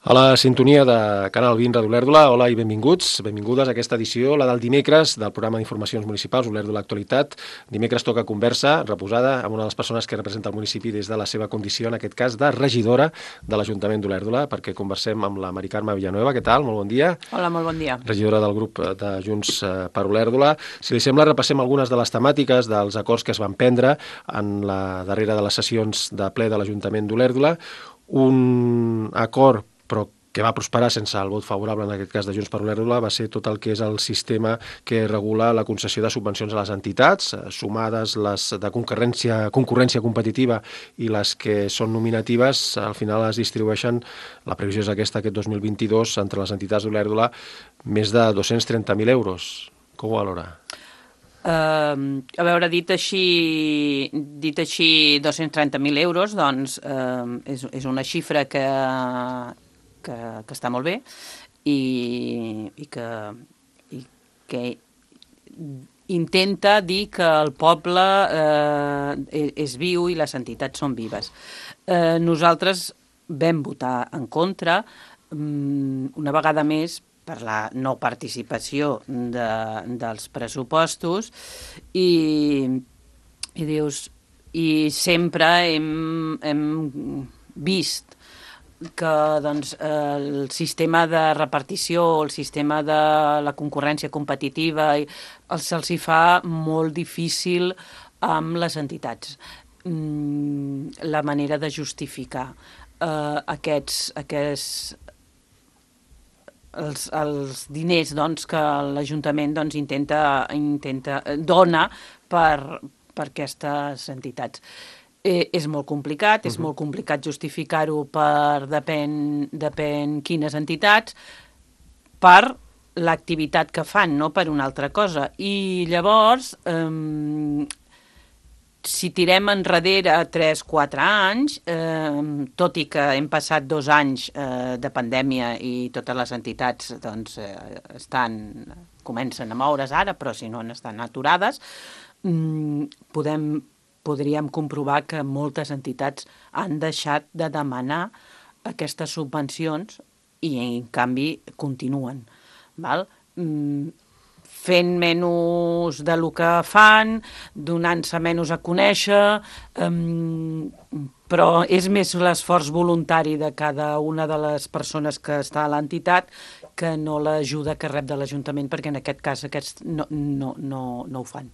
A la sintonia de Canal 20 Ràdio Olèrdola, hola i benvinguts, benvingudes a aquesta edició, la del dimecres, del programa d'Informacions Municipals Olèrdola Actualitat. Dimecres toca conversa reposada amb una de les persones que representa el municipi des de la seva condició, en aquest cas, de regidora de l'Ajuntament d'Olèrdola, perquè conversem amb la Mari Carme Villanueva. Què tal? Molt bon dia. Hola, molt bon dia. Regidora del grup de Junts per Olèrdola. Si li sembla, repassem algunes de les temàtiques dels acords que es van prendre en la darrera de les sessions de ple de l'Ajuntament d'Olèrdola. Un acord però que va prosperar sense el vot favorable, en aquest cas de Junts per Olèrdola, va ser tot el que és el sistema que regula la concessió de subvencions a les entitats, sumades les de concurrència competitiva i les que són nominatives, al final es distribueixen, la previsió és aquesta, aquest 2022, entre les entitats d'Olèrdola, més de 230.000 euros. Com ho valora? A veure, dit així 230.000 euros, doncs és una xifra que està molt bé i que intenta dir que el poble és viu i les entitats són vives. Nosaltres vam votar en contra una vegada més per la no participació dels pressupostos i sempre hem vist que doncs, el sistema de repartició, el sistema de la concurrència competitiva se'ls hi fa molt difícil amb les entitats. La manera de justificar els diners doncs, que l'Ajuntament doncs, dona per aquestes entitats. És molt complicat, és molt complicat justificar-ho per depèn quines entitats, per l'activitat que fan, no per una altra cosa. I llavors, si tirem enrere 3-4 anys, tot i que hem passat 2 anys de pandèmia i totes les entitats doncs, comencen a moure's ara, però si no estan aturades, podríem comprovar que moltes entitats han deixat de demanar aquestes subvencions i, en canvi, continuen. Val? Fent menys del que fan, donant-se menys a conèixer, però és més l'esforç voluntari de cada una de les persones que està a l'entitat que no l'ajuda que rep de l'Ajuntament, perquè en aquest cas aquests no ho fan.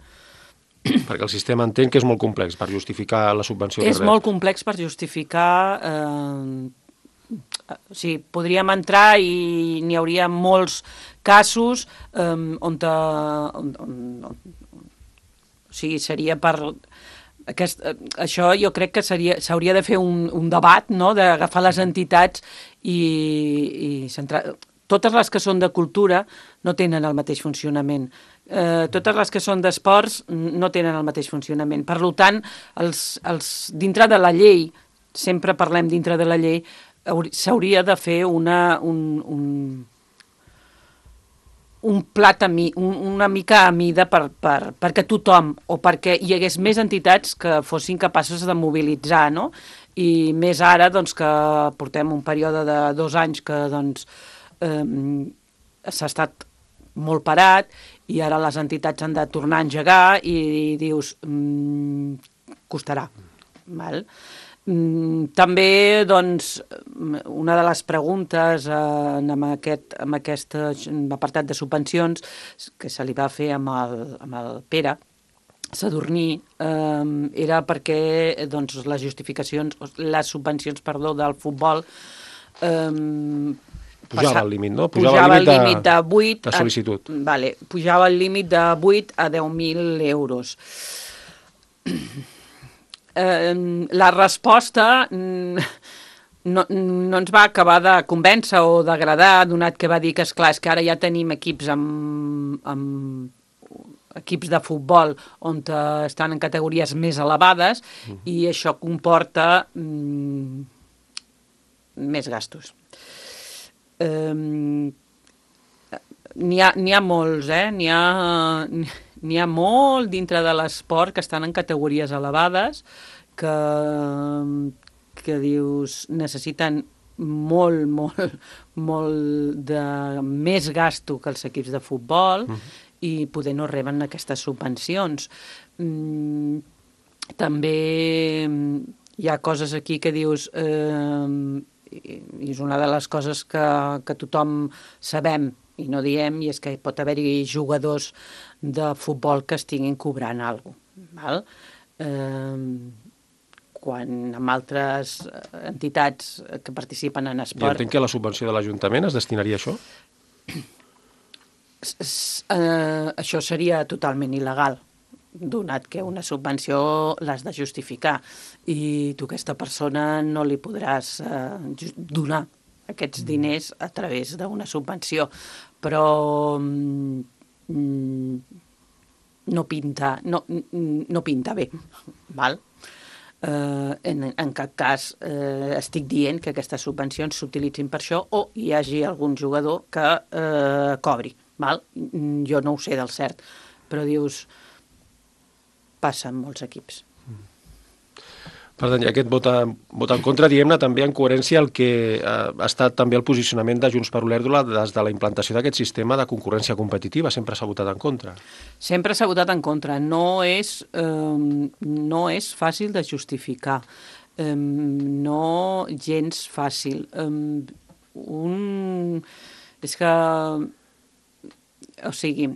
Perquè el sistema entenc que és molt complex per justificar la subvenció que rep. És molt complex per justificar... Sí, podríem entrar i n'hi hauria molts casos on seria per... Això jo crec que s'hauria de fer un debat, no?, d'agafar les entitats i centrar... Totes les que són de cultura no tenen el mateix funcionament. Totes les que són d'esports no tenen el mateix funcionament. Per tant, dintre de la llei, sempre parlem dintre de la llei, s'hauria de fer un plat una mica a mida perquè tothom, o perquè hi hagués més entitats que fossin capaces de mobilitzar, no? I més ara, doncs, que portem un període de 2 anys que, doncs, s'ha estat molt parat i ara les entitats han de tornar a engegar i dius, costarà. Val? També, doncs, una de les preguntes en aquest apartat de subvencions que se li va fer amb el Pere Sadurní era perquè doncs, les subvencions del futbol pujava el límit, no? Pujava el límit de 8 de sol·licitud. Vale, pujava el límit de 8 a 10.000 euros. La resposta no ens va acabar de convèncer o d'agradar, donat que va dir que, esclar, és que ara ja tenim equips equips de futbol on estan en categories més elevades i això comporta més gastos. N'hi ha molts, n'hi ha molt dintre de l'esport que estan en categories elevades que dius necessiten molt de més gasto que els equips de futbol i poder no reben aquestes subvencions. També hi ha coses aquí que dius... i és una de les coses que tothom sabem i no diem, i és que pot haver-hi jugadors de futbol que estiguin cobrant alguna cosa, quan amb altres entitats que participen en esport... I entenc que la subvenció de l'Ajuntament es destinaria a això? Això seria totalment il·legal, donat que una subvenció l'has de justificar i tu a aquesta persona no li podràs donar aquests diners a través d'una subvenció, però no pinta bé, val? En cap cas estic dient que aquestes subvencions s'utilitzin per això o hi hagi algun jugador que cobri, val? Jo no ho sé del cert, però dius... passa en molts equips. Per tant, aquest vot en contra, diguem-ne, també en coherència el que ha estat també el posicionament de Junts per Olèrdola des de la implantació d'aquest sistema de concurrència competitiva. Sempre s'ha votat en contra. Sempre s'ha votat en contra. No és fàcil de justificar. No gens fàcil. És que... O sigui,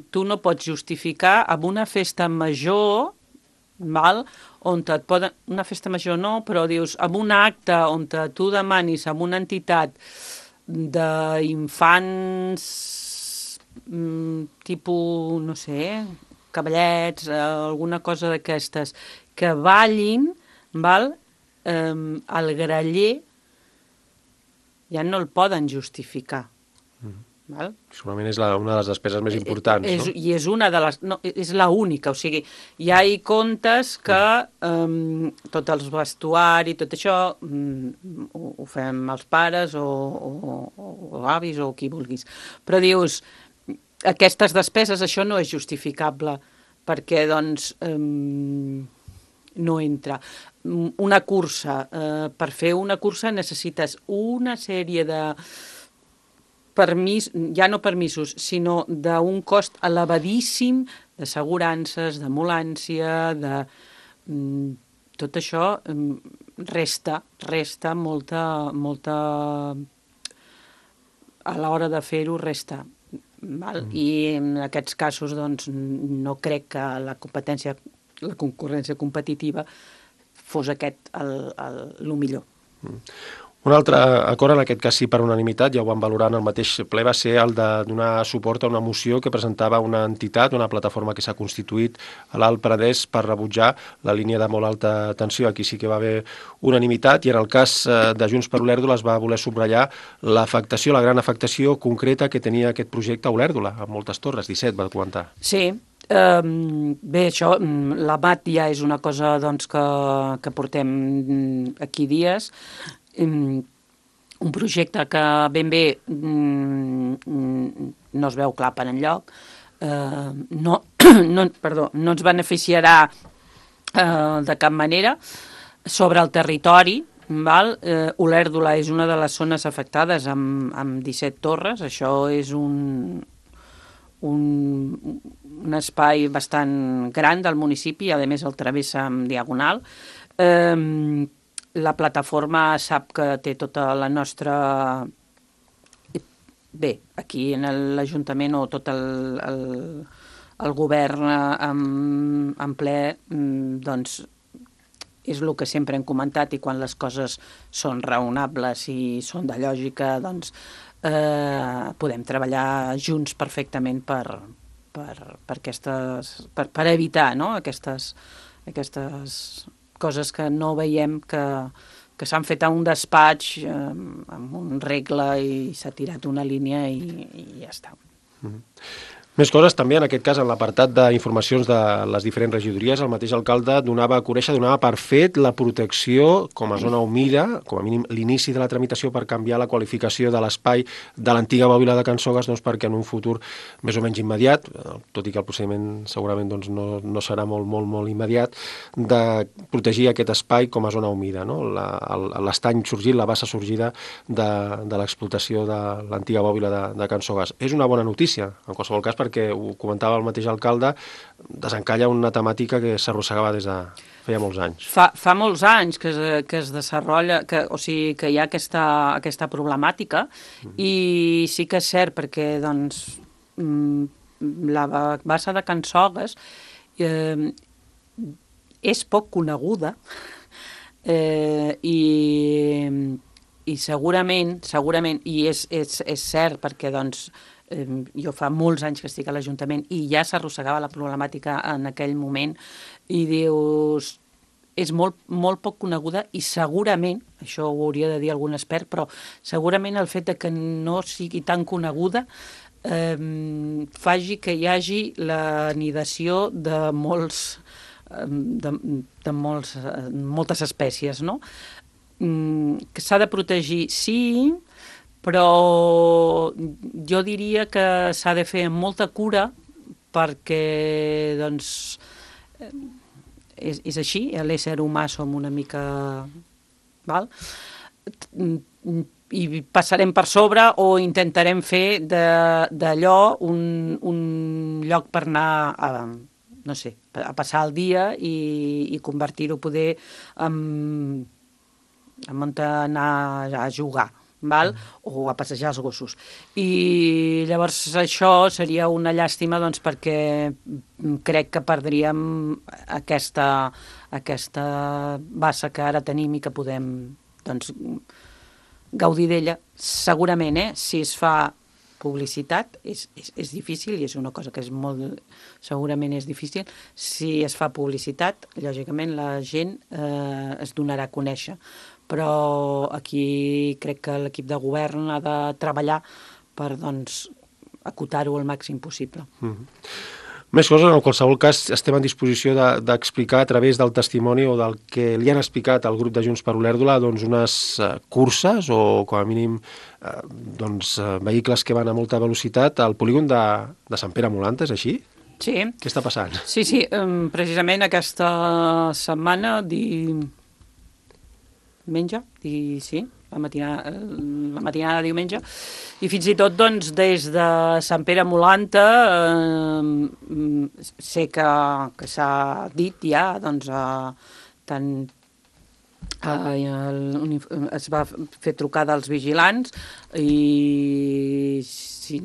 tu no pots justificar amb una festa major, val? On et poden... Una festa major no, però dius, amb un acte on tu demanis amb una entitat d'infants tipus, no sé, cavallets, alguna cosa d'aquestes, que ballin, val? El graller ja no el poden justificar. Val? Segurament és una de les despeses més importants, no? I és una de les... No, és l'única, o sigui, ja hi comptes que tot els vestuari, tot això, ho fem els pares o avis o qui vulguis. Però dius, aquestes despeses, això no és justificable, perquè, doncs, no entra. Una cursa, per fer una cursa necessites una sèrie de... ja no permisos, sinó d'un cost elevadíssim d'assegurances, d'ambulància, de... Tot això resta molta... A l'hora de fer-ho resta. Val? I en aquests casos, doncs, no crec que la concurrència competitiva fos aquest el millor. Un altre acord, en aquest cas sí per unanimitat, ja ho van valorar en el mateix ple, va ser el de donar suport a una moció que presentava una entitat, una plataforma que s'ha constituït a l'Alt Penedès per rebutjar la línia de molt alta tensió. Aquí sí que va haver unanimitat i en el cas de Junts per Olèrdola es va voler subratllar l'afectació, la gran afectació concreta que tenia aquest projecte a Olèrdola, amb moltes torres, 17 va comentar. Sí, bé, això, l'AMAT ja és una cosa doncs, que portem aquí dies, un projecte que ben bé no es veu clar per enlloc, no ens beneficiarà de cap manera sobre el territori. Olèrdola és una de les zones afectades amb 17 torres, això és un espai bastant gran del municipi, a més el travessa en diagonal. La plataforma sap que té tota la nostra... Bé, aquí en l'Ajuntament o tot el govern en ple, doncs és el que sempre hem comentat, i quan les coses són raonables i són de lògica, doncs podem treballar junts perfectament per evitar, no? aquestes coses que no veiem que s'han fet a un despatx amb un regle i s'ha tirat una línia i ja està. Més coses també, en aquest cas, en l'apartat d'informacions de les diferents regidories, el mateix alcalde donava a conèixer, donava per fet la protecció com a zona humida, com a mínim l'inici de la tramitació per canviar la qualificació de l'espai de l'antiga bòbila de Can Sogues, doncs perquè en un futur més o menys immediat, tot i que el procediment segurament doncs, no serà molt immediat, de protegir aquest espai com a zona humida, no? L'estany sorgit, la bassa sorgida de l'explotació de l'antiga bòbila de Can Sogues. És una bona notícia, en qualsevol cas, perquè ho comentava el mateix alcalde, desencalla una temàtica que s'arrossegava des de feia molts anys. Fa molts anys que es desenvolupa, o sigui, que hi ha aquesta problemàtica, i sí que és cert perquè doncs, la bassa de Can Sogues és poc coneguda i segurament, i és cert perquè doncs, jo fa molts anys que estic a l'Ajuntament i ja s'arrossegava la problemàtica en aquell moment i dius, és molt poc coneguda i segurament, això ho hauria de dir algun expert, però segurament el fet de que no sigui tan coneguda faci que hi hagi l'anidació de moltes espècies, no? Que s'ha de protegir, sí, però jo diria que s'ha de fer amb molta cura perquè, doncs, és així, l'ésser humà som una mica... Val? I passarem per sobre o intentarem fer d'allò un lloc per anar no sé, a passar el dia i convertir-ho poder en on anar a jugar, val? O a passejar els gossos. I llavors això seria una llàstima doncs, perquè crec que perdríem aquesta bassa que ara tenim i que podem doncs, gaudir d'ella. Segurament, si es fa publicitat, és difícil i és una cosa que segurament és difícil. Si es fa publicitat, lògicament la gent es donarà a conèixer. Però aquí crec que l'equip de govern ha de treballar per doncs, acotar-ho al màxim possible. Més coses, en qualsevol cas, estem en disposició d'explicar a través del testimoni o del que li han explicat al grup de Junts per Olèrdola doncs, unes curses o, com a mínim, doncs, vehicles que van a molta velocitat al polígon de Sant Pere Molant, és així? Sí. Què està passant? Sí, precisament aquesta setmana, la matinada de diumenge, i fins i tot doncs, des de Sant Pere Molanta sé que s'ha dit ja, doncs, es va fer trucada als vigilants i, si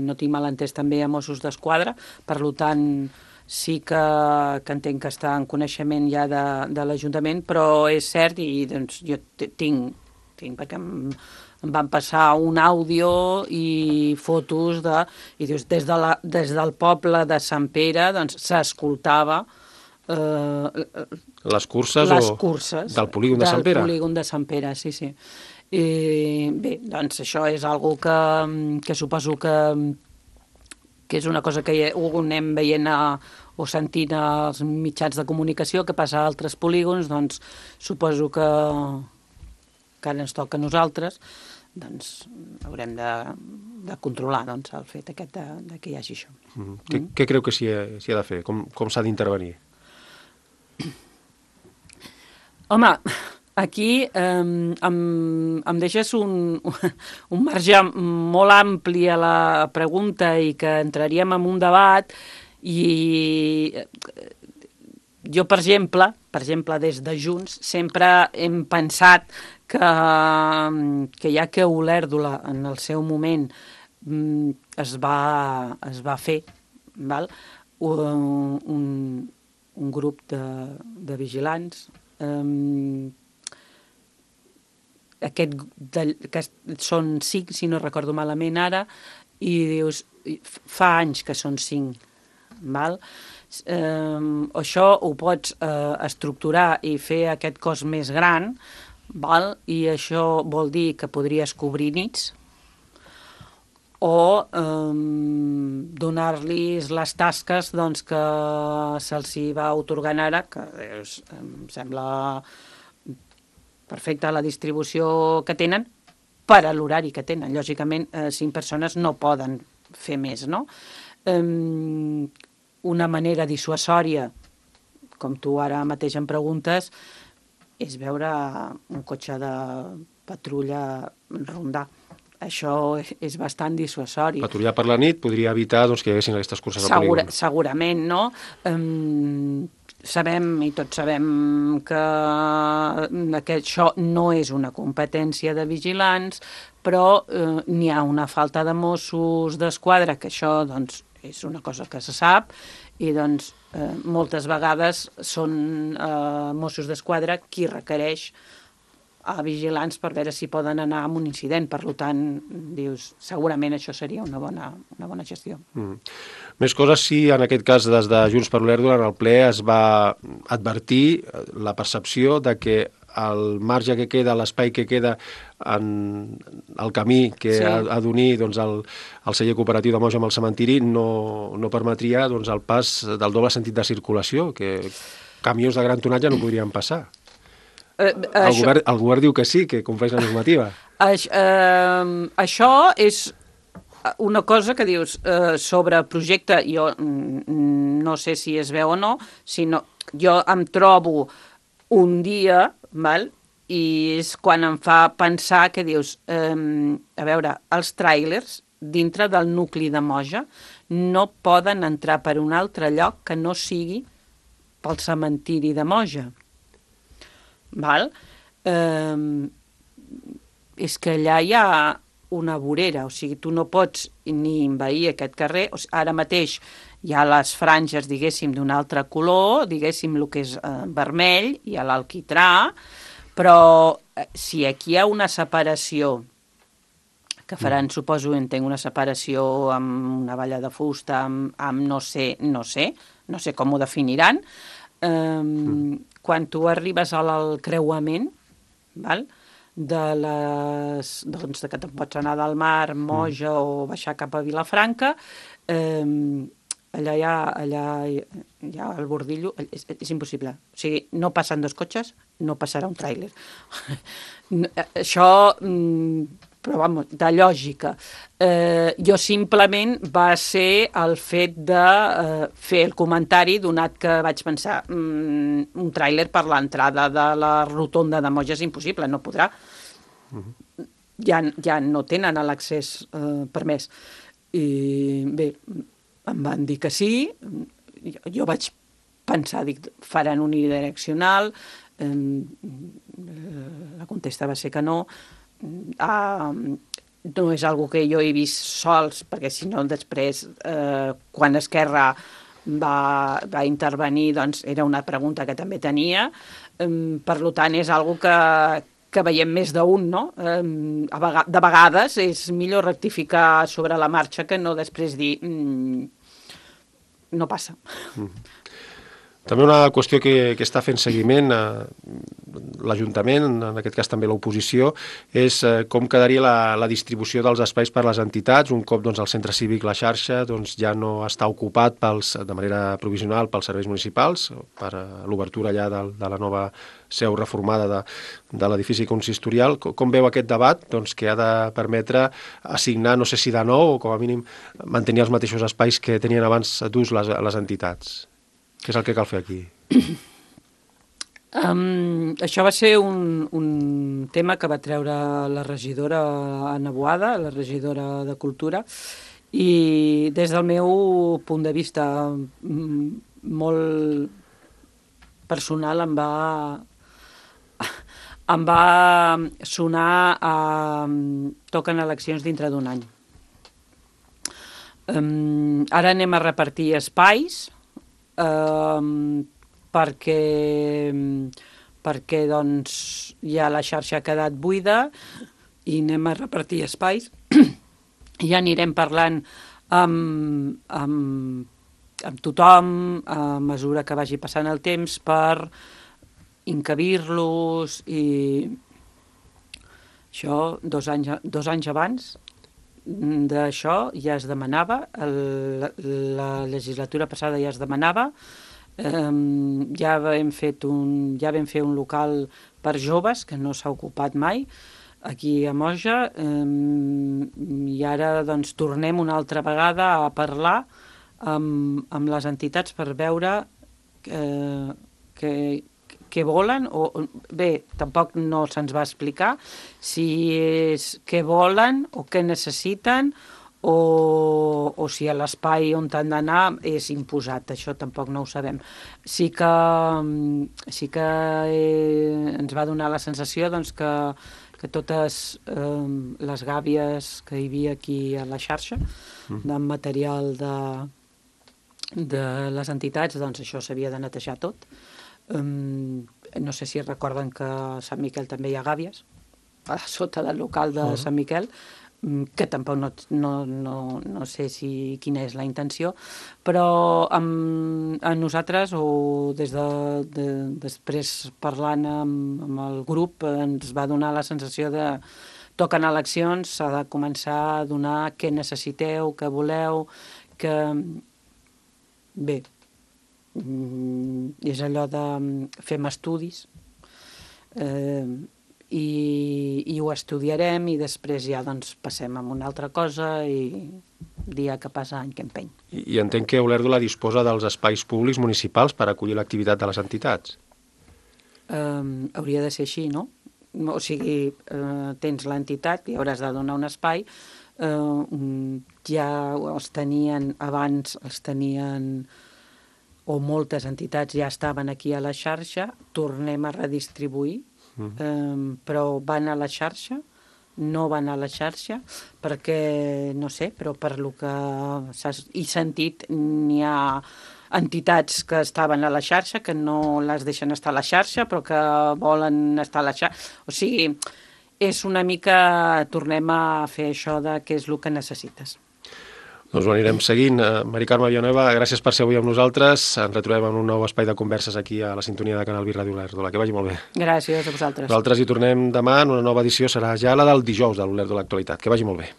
no tinc mal entès, també a Mossos d'Esquadra, per tant sí que entenc que està en coneixement ja de l'Ajuntament, però és cert i doncs, jo tinc perquè em van passar un àudio i fotos i dius, des del poble de Sant Pere doncs, s'escoltava les curses del polígon de Sant Pere? Del polígon de Sant Pere, sí. I, bé, doncs això és algo que suposo que és una cosa que ho anem veient o sentint als mitjans de comunicació que passa a altres polígons, doncs suposo que ara ens toca a nosaltres, doncs haurem de controlar doncs, el fet aquest que hi hagi això. Què creu que s'hi ha de fer? Com s'ha d'intervenir? Home, aquí em deixes un marge molt ampli a la pregunta i que entraríem en un debat i jo, per exemple, des de Junts, sempre hem pensat que ja que Olèrdola en el seu moment es va fer un grup de vigilants, que són 5, si no recordo malament ara, i dius, fa anys que són 5, val? Això ho pots estructurar i fer aquest cos més gran, val? I això vol dir que podries cobrir nits, o donar-los les tasques doncs, que se'ls va atorgant ara, que em sembla perfecta la distribució que tenen per a l'horari que tenen. Lògicament, 5 persones no poden fer més, no? Una manera dissuasòria, com tu ara mateix em preguntes, és veure un cotxe de patrulla rondar. Això és bastant dissuasori. Patrullar per la nit podria evitar doncs, que hi haguessin aquestes curses al polígon. Segurament, no? Sabem, i tots sabem, que això no és una competència de vigilants, però n'hi ha una falta de Mossos d'Esquadra, que això doncs, és una cosa que se sap, i doncs moltes vegades són Mossos d'Esquadra qui requereix a vigilants per veure si poden anar a un incident. Per tant, dius, segurament això seria una bona gestió. Més coses, sí, en aquest cas, des de Junts per l'Olèrdola, en el ple es va advertir la percepció de que el marge que queda, l'espai que queda en el camí que ha d'unir doncs, el celler cooperatiu de Moja amb el cementiri no permetria doncs, el pas del doble sentit de circulació, que camions de gran tonatge no podrien passar. El govern diu que sí, que compleix la normativa. Això és una cosa que dius sobre projecte, jo no sé si es veu o no, sinó jo em trobo un dia, val? I és quan em fa pensar que dius, a veure, els tràilers dintre del nucli de Moja no poden entrar per un altre lloc que no sigui pel cementiri de Moja. Val? És que allà hi ha una vorera, o sigui, tu no pots ni envair aquest carrer, o sigui, ara mateix hi ha les franges, diguéssim, d'un altre color, diguéssim, el que és vermell, hi ha l'alquitrà, però si aquí hi ha una separació, que faran, suposo, entenc, una separació amb una valla de fusta, amb no sé com ho definiran, quan tu arribes al creuament, val? Doncs, que te'n pots anar del mar, Moja o baixar cap a Vilafranca, allà hi ha el bordillo, és impossible. O sigui, no passen 2 cotxes, no passarà un tràiler. Això, però vamos, de lògica. Jo simplement va ser el fet de fer el comentari, donat que vaig pensar un tràiler per l'entrada de la rotonda de Moja és impossible, no podrà. Ja no tenen l'accés permès. I bé, em van dir que sí, jo vaig pensar, dic, faran unidireccional, la contesta va ser que no, no és algo que jo he vist sols, perquè si no després, quan Esquerra va intervenir, doncs era una pregunta que també tenia, per tant és algo que veiem més d'un, no? De vegades és millor rectificar sobre la marxa que no després dir no passa. També una qüestió que està fent seguiment l'Ajuntament, en aquest cas també l'oposició, és com quedaria la distribució dels espais per les entitats, un cop doncs, el centre cívic, la xarxa, doncs, ja no està ocupat de manera provisional pels serveis municipals, per l'obertura allà de la nova seu reformada de l'edifici consistorial. Com veu aquest debat doncs, que ha de permetre assignar, no sé si de nou, o com a mínim mantenir els mateixos espais que tenien abans d'ús les entitats? Què és el que cal fer aquí? Això va ser un tema que va treure la regidora Anna Boada, la regidora de Cultura, i des del meu punt de vista molt personal em va sonar a toquen eleccions dintre d'un any. Ara anem a repartir espais, perquè doncs ja la xarxa ha quedat buida i anem a repartir espais i ja anirem parlant amb tothom a mesura que vagi passant el temps per encabir-los i això 2 anys abans d'això ja es demanava, la legislatura passada ja es demanava, ja vam fer un local per joves, que no s'ha ocupat mai, aquí a Moja, i ara doncs tornem una altra vegada a parlar amb les entitats per veure què volen, bé, tampoc no se'ns va explicar si és què volen o què necessiten o si l'espai on han d'anar és imposat, això tampoc no ho sabem. Sí que ens va donar la sensació doncs, que totes les gàbies que hi havia aquí a la xarxa, de material de les entitats, doncs això s'havia de netejar tot. No sé si recorden que a Sant Miquel també hi ha gàbies, a sota del local de Sant Miquel, que tampoc no sé quina és la intenció, però a nosaltres, o després parlant amb el grup, ens va donar la sensació de toquen eleccions, s'ha de començar a donar què necessiteu, què voleu, que bé, és allò de fem estudis i ho estudiarem i després ja doncs passem a una altra cosa i dia que passa any que empeny. I entenc que Olèrdola disposa dels espais públics municipals per acollir l'activitat de les entitats. Hauria de ser així, no? O sigui, tens l'entitat i hauràs de donar un espai, ja els tenien abans, o moltes entitats ja estaven aquí a la xarxa, tornem a redistribuir, però van a la xarxa, no van a la xarxa, perquè, no sé, però per lo que he sentit, n'hi ha entitats que estaven a la xarxa, que no les deixen estar a la xarxa, però que volen estar a la xarxa. O sigui, és una mica, tornem a fer això de què és el que necessites. Doncs ho anirem seguint. Mari Carme Villanueva, gràcies per ser avui amb nosaltres. Ens retrobem en un nou espai de converses aquí a la sintonia de Canal Vir Ràdio Olèrdola. Que vagi molt bé. Gràcies a vosaltres. Nosaltres hi tornem demà en una nova edició. Serà ja la del dijous de l'Olèrdola Actualitat. Que vagi molt bé.